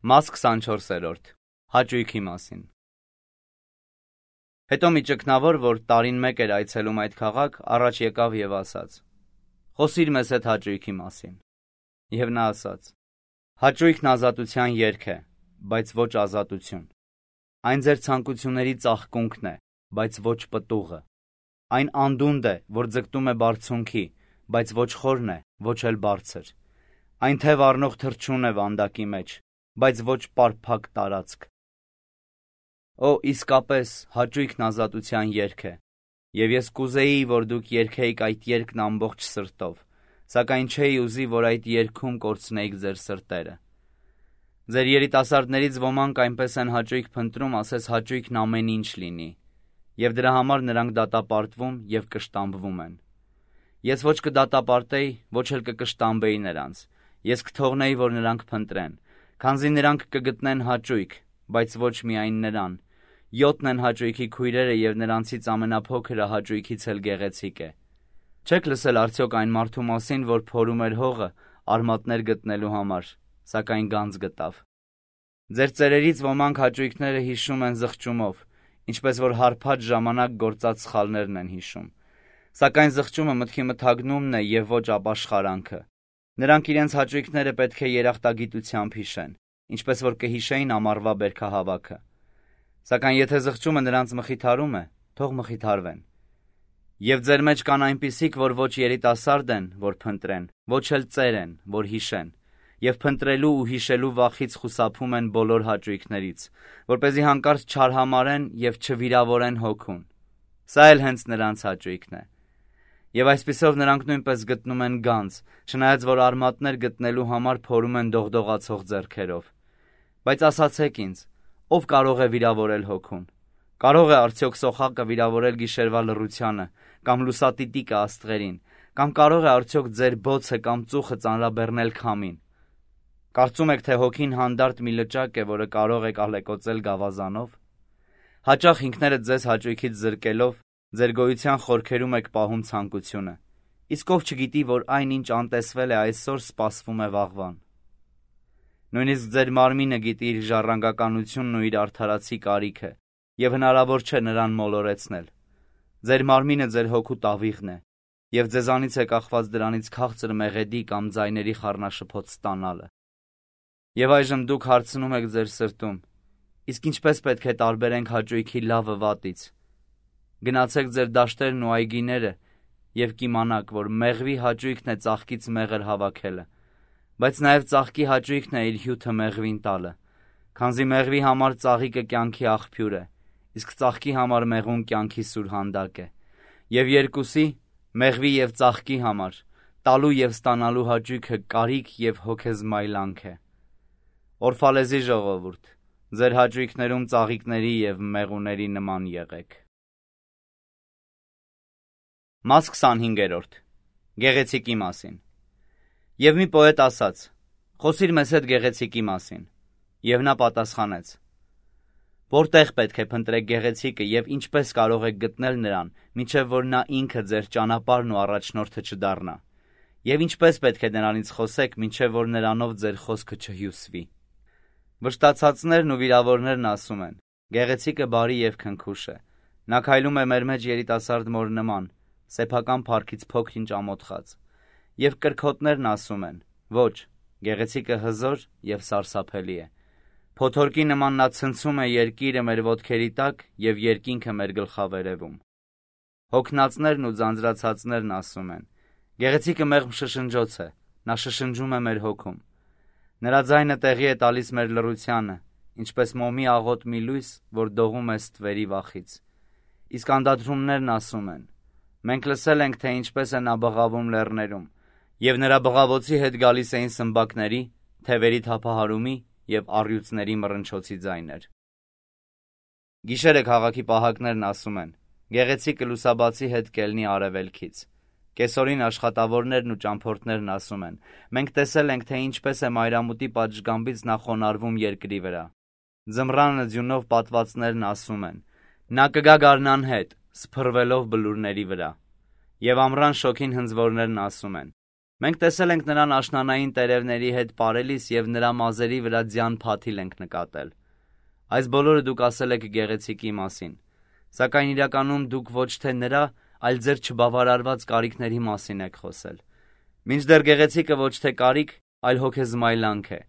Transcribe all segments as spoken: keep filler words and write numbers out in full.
Մաս քսանչորսերորդ. Հաճույքի մասին։ Հետո մի ճգնավոր, որ տարին մեկ էր այցելում այդ քաղաք, առաջ եկավ եւ ասաց. «Խոսիր մեզ հետ հաճույքի մասին»։ Եվ նա ասաց. «Հաճույքն ազատության երգ է, բայց ոչ ազատություն։ Այն ձեր ցանկությունների ծաղկունքն է, բայց ոչ պտուղը։ Այն անդունդ է, որ ձգտում է բարձունքի, բայց ոչ խորն է, ոչ էլ բարձր։ Այն թև առնող թռչուն է վանդակի մեջ, բայց ոչ պարփակ տարածք։ Օ, իսկապես հաճույքն ազատության երգ է, եւ ես կուզեի, որ դուք երգեիք այդ երգն ամբողջ սրտով, սակայն չէի ուզի, որ այդ երգում կորցնեիք ձեր սրտերը։ Ձեր երիտասարդներից ոմանք այնպես են հաճույք փնտրում, ասես հաճույքն ամեն ինչ լինի, եւ դրա համար նրանք դատապարտվում եւ կշտամբվում են։ Ես ոչ կդատապարտեի, ոչ էլ կկշտամբեի նրանց, ես կթողնեի, որ նրանք փնտրեն, քանզի նրանք կգտնեն հաճույք, բայց ոչ միայն նրան։ Յոթն են հաճույքի քույրերը եւ նրանցից ամենափոքրը հաճույքից էլ գեղեցիկ է։ Չեք լսել արդյոք այն մարդու մասին, որ փորում էր հողը արմատներ գտնելու համար, սակայն գանձ գտավ։ Ձեր ծերերից ոմանք հաճույքները հիշում են զղջումով, ինչպես որ հարբած ժամանակ գործած սխալներն են հիշում։ Սակայն զղջումը մտքի մթագնումն է եւ ոչ ապաշխարանքը։ Նրանք իրենց հաճույքները պետք է երախտագիտությամբ հիշեն, ինչպես որ կհիշեին ամառվա բերքահավաքը։ Սակայն եթե զղջումը նրանց մխիթարում է, թող մխիթարվեն։ Եվ ձեր մեջ կան այնպիսիք, որ ոչ երիտասարդ են, որ փնտրեն, ոչ էլ ծեր են, որ հիշեն, եւ փնտրելու ու հիշելու վախից խուսափում են բոլոր հաճույքներից, որպեսզի հանկարծ չարհամարեն եւ չվիրավորեն հոգուն։ Սա էլ հենց նրանց հաճույքն է։ Եվ այսպիսով նրանք նույնպես գտնում են գանձ, չնայած որ արմատներ գտնելու համար փորում են դողդողացող ձեռքերով։ Բայց ասացեք ինձ, ով կարող է վիրավորել հոգուն։ Կարող է արդյոք սոխակը վիրավորել գիշերվա լռությանը, կամ լուսատիտիկը աստղերին, կամ կարող է արդյոք ձեր բոցը կամ ծուխը ծանրաբեռնել քամին։ Կարծում եք, թե հոգին հանդարտ մի լճակ է, որը կարող եք ալեկոծել գավազանով։ Հաճախ ինքներդ ձեզ հաճույքից զրկելով ձեր գոյության խորքերում եք պահում ցանկությունը, իսկ ով չգիտի, որ այն ինչ անտեսվել է այսօր, սպասվում է վաղվան։ Նույնիսկ ձեր մարմինը գիտի իր ժառանգականությունն ու իր արդարացի կարիքը, եւ հնարավոր չէ նրան մոլորեցնել։ Ձեր մարմինը ձեր հոգու տավիղն է, եւ ձեզանից է կախված դրանից քաղցր մեղեդի կամ ձայների խառնաշփոթ ստանալը։ Եվ այժմ դուք հարցնում եք ձեր սրտում. իսկ ինչպես պետք է տարբերենք հաճույքի լավը վատից։ Գնացեք ձեր դաշտերն ու այգիները եւ կիմանաք, որ մեղվի հաճույքն է ծաղկից մեղր հավաքելը, բայց նաեւ ծաղկի հաճույքն է իր հյութը մեղվին տալը, քանզի մեղվի համար ծաղիկը կյանքի աղբյուր է, իսկ ծաղկի համար մեղուն կյանքի սուրհանդակ է։ Եվ երկուսի, մեղվի եւ ծաղկի համար, տալու եւ ստանալու հաճույքը կարիք եւ հոգեզմայլանք է։ Օրֆալեզի ժողովուրդ, ձեր հաճույքներում ծաղիկների եւ մեղուների նման եղեք։ Մաս քսանհինգերորդ. Գեղեցիկի մասին։ Եվ մի պոետ ասաց. «Խոսիր մեզ հետ գեղեցիկի մասին»։ Եվ նա պատասխանեց. «Որտեղ պետք է փնտրեք գեղեցիկը եւ ինչպես կարող եք գտնել նրան, մինչեւ որ նա ինքը ձեր ճանապարհն ու առաջնորդը չդառնա, եւ ինչպես պետք է նրանից խոսեք, մինչեւ որ նրանով ձեր խոսքը չհյուսվի»։ Վշտացածներն ու վիրավորներն ասում են. «Գեղեցիկը բարի եւ քնքուշ է։ Նա քայլում է մեր մեջ երիտասարդ մոր նման, սեփական փառքից փոքր-ինչ ամոթխած»։ Եվ կրքոտներն ասում են. «Ոչ, գեղեցիկը հզոր եւ սարսափելի է։ Փոթորկի նման նա ցնցում է երկիրը մեր ոտքերի տակ եւ երկինքը մեր գլխավերևում»։ Հոգնածներն ու ձանձրացածներն ասում են. «Գեղեցիկը մեղմ շշնջոց է, նա շշնջում է մեր հոգում։ Նրա ձայնը տեղի է տալիս մեր լռությանը, ինչպես մոմի աղոտ մի լույս, որ դողում է ստվերի վախից»։ Իսկ անդադրումներն ասում են. «Մենք լսել ենք, թե ինչպես է նա բղավում լեռներում, եւ նրա բղավոցի հետ գալիս էին սմբակների, թևերի թափահարումի եւ առյուծների մռնչոցի ձայներ»։ Գիշերը քաղաքի պահակներն ասում են. «Գեղեցիկը լուսաբացի հետ կելնի արևելքից»։ Կեսօրին աշխատավորներն ու ճամփորդներն ասում են. «Մենք տեսել ենք, թե ինչպես է մայրամուտի պատշգամբից նա խոնարհվում երկրի վրա»։ Ձմռանը ձյունով պատվածներն ասում են. «Նա կգա գարնան հետ, սփռվելով բլուրների վրա»։ Եվ ամռան շոգին հնձվորներն ասում են. Մենք տեսել ենք նրան աշնանային տերևների հետ պարելիս և նրա մազերի վրա ձյան փաթիլ ենք նկատել։ Այս բոլորը դուք ասել եք գեղեցիկի մասին, սակայն իրականում դուք ոչ թե նրա, այլ ձեր չբավարարված կարիքների մասին եք խոսել։ Մինչդեռ գեղեցիկը ոչ թե կարիք, այլ հոգեզմայլանք է։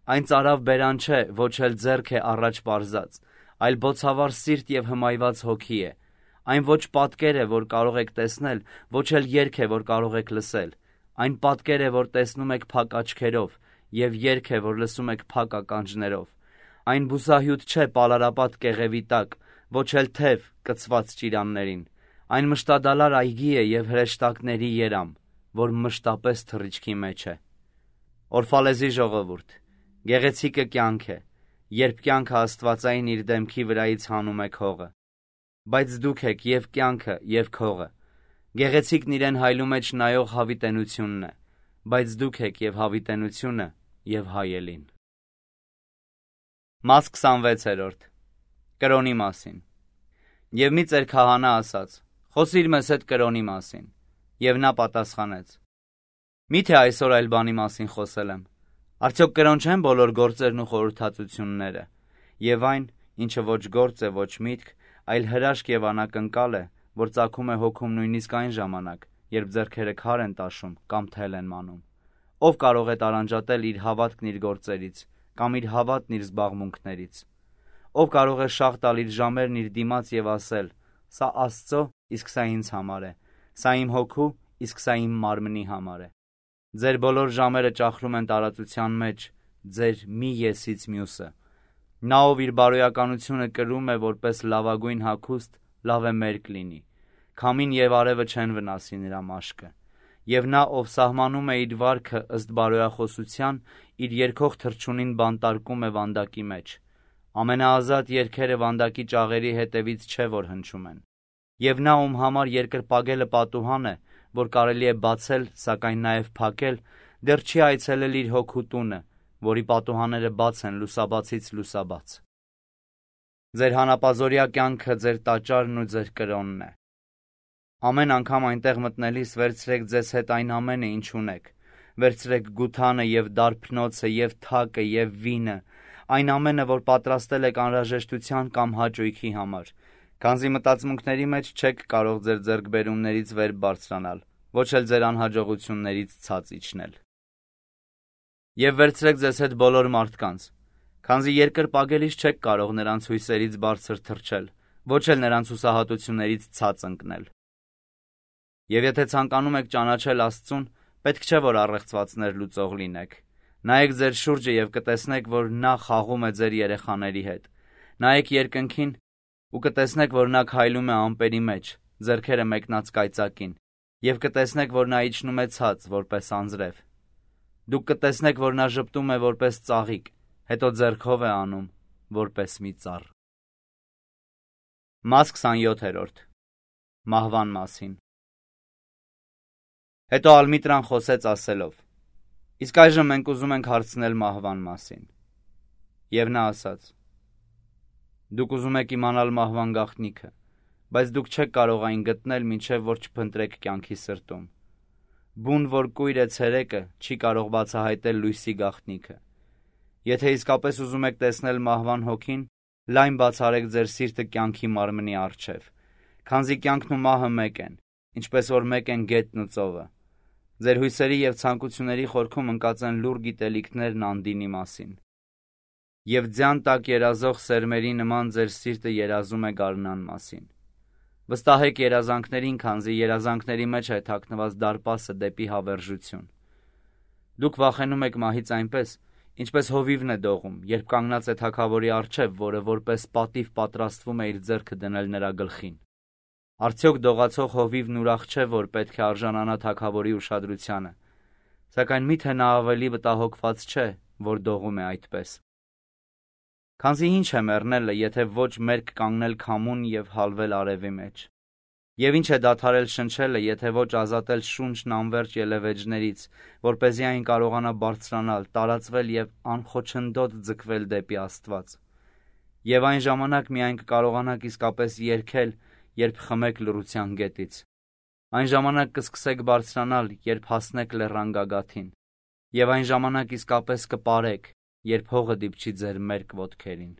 Այն ծարավ բերան չէ, ոչ էլ ձեռք է առաջ պարզած, այլ բոցավառ սիրտ և հմայված հոգի է։ Այն ոչ պատկեր է, որ կարող եք տեսնել, ոչ էլ երգ է, որ կարող եք լսել։ Այն պատկեր է, որ տեսնում եք փակ աչքերով, և երգ է, որ լսում եք փակ ականջներով։ Այն բուսահյութ չէ պալարապատ կեղևի տակ, ոչ էլ թև կցված ճիրաններին։ Այն մշտադալար այգի է և հրեշտակների երամ, որ մշտապես թռիչքի մեջ է։ Օրֆալեզի ժողովուրդ, գեղեցիկը կյանք է, երբ կյանքը աստվածային իր դեմքի վրայից հանում է քողը։ Բայց դուք եք և կյանքը, և քողը։ Գեղեցիկն իրեն հայլու մեջ նայող հավիտենությունն է, բայց դուք եք և հավիտենությունը, և հայելին։ Մաս քսանվեցերորդ. Կրոնի մասին։ Եվ մի ծեր քահանա ասաց. «Խոսիր մեզ հետ կրոնի մասին»։ Եվ նա պատասխանեց. «Մի՞թե այսօր այլ բանի մասին խոսել եմ։ Արդյոք կրոն չեն բոլոր գործերն ու խորհրդածությունները։ Եվ այն, ինչը ոչ գործ է, ոչ միտք, այլ հրաշք և անակնկալ է, որ ծագում է հոգում նույնիսկ այն ժամանակ, երբ ձեռքերը քար են տաշում կամ թել են մանում։ Ով կարող է տարանջատել իր հավատքն իր գործերից, կամ իր հավատն իր զբաղմունքներից։ Ով կարող է շաղ տալ իր ժամերն իր դիմաց և ասել. «Սա Աստծո, իսկ սա ինձ համար է, սա իմ հոգու, իսկ սա իմ մարմնի համար է»։ Ձեր բոլոր ժամերը ճախրում են տարածության մեջ, ձեր մի եսից մյուսը։ Նա, ով իր բարոյականությունը կրում է որպես լավագույն հագուստ, լավ է մերկ լինի։ Քամին և արևը չեն վնասի նրա մաշկը։ Եվ նա, ով սահմանում է իր վարքը ըստ բարոյախոսության, իր երգող թռչունին բանտարկում է վանդակի մեջ։ Ամենաազատ երգերը վանդակի ճաղերի հետևից չէ, որ հնչում են։ Եվ նա, ում համար երկրպագելը պատուհան է, որ կարելի է բացել, սակայն նաև փակել, դեռ չի այցելել իր հոգու տունը, որի պատուհանները բաց են լուսաբացից լուսաբաց։ Ձեր հանապազօրյա կյանքը ձեր տաճարն ու ձեր կրոնն է։ Ամեն անգամ այնտեղ մտնելիս վերցրեք ձեզ հետ այն ամենը, ինչ ունեք։ Վերցրեք գութանը և դարբնոցը և թակը և վինը, այն ամենը, որ պատրաստել եք անհրաժեշտության կամ հաճույքի համար, քանզի մտածմունքների մեջ չեք կարող ձեր ձեռքբերումներից վեր բարձրանալ, ոչ էլ ձեր անհաջողություններից ցած իջնել։ Եվ վերցրեք ձեզ հետ բոլոր մարդկանց, քանզի երկրպագելիս չեք կարող նրանց հույսերից բարձր թռչել, ոչ էլ նրանց հուսահատություններից ցած ընկնել։ Եվ եթե ցանկանում եք ճանաչել Աստծուն, պետք չէ, որ առեղծվածներ լուծող լինեք։ Նայեք ձեր շուրջը և կտեսնեք, որ նա խաղում է ձեր երեխաների հետ։ Նայեք երկնքին ու կտեսնեք, որ նա քայլում է ամպերի մեջ, ձեռքերը մեկնած կայծակին, և կտեսնեք, որ նա իջնում է ցած, որպես անձրև։ Դուք կտեսնեք, որ նա ժպտում է որպես ծաղիկ, հետո ձեռքով է անում, որպես մի ծառ։ Մաս քսանյոթերորդ. Մահվան մասին։ Հետո Ալմիտրան խոսեց ասելով. «Իսկ այժմ մենք ուզում ենք հարցնել մահվան մասին»։ Եվ նա ասաց. «Դուք ուզում եք իմանալ մահվան գաղտնիքը, բայց դուք չեք կարող այն գտնել, մինչև որ չփնտրեք կյանքի սրտում։ Բուն, որ կույր է ցերեկը, չի կարող բացահայտել լույսի գաղտնիքը։ Եթե իսկապես ուզում եք տեսնել մահվան հոգին, լայն բացարեք ձեր սիրտը կյանքի մարմնի առջև, քանզի կյանքն ու մահը մեկ են, ինչպես որ մեկ են գետն ու ծովը։ Ձեր հույսերի և ցանկությունների խորքում ընկած են լուռ գիտելիքներն անդինի մասին։ Եվ ձյան տակ երազող սերմերի նման ձեր սիրտը երազում է գարնան մասին։ Վստահեք երազանքներին, քանզի երազանքների մեջ է թաքնված դարպասը դեպի հավերժություն։ Դուք վախենում եք մահից այնպես, ինչպես հովիվն է դողում, երբ կանգնած է թագավորի առջև, որը որպես պատիվ պատրաստվում է իր ձեռքը դնել նրա գլխին։ Արդյոք դողացող հովիվն ուրախ չէ, որ պետք է արժանանա թագավորի ուշադրությանը, սակայն միթե նա ավելի մտահոգված չէ, որ դողում է այդպես։ Քանզի ինչ է մեռնելը, եթե ոչ մերկ կանգնել քամուն և հալվել արևի մեջ։ Եվ ինչ է դադարել շնչելը, եթե ոչ ազատել շունչն անվերջ ելևէջներից, որպեսզի այն կարողանա բարձրանալ, տարածվել և անխոչնդոտ ձգվել դեպի Աստված։ Եվ այն ժամանակ միայն կկարողանաք իսկապես երգել, երբ խմեք լռության գետից։ Այն ժամանակ կսկսեք բարձրանալ, երբ հասնեք լեռան գագաթին, եւ այն ժամանակ իսկապես կպարեք, երբ հողը դիպչի ձեր մերկ ոտքերին։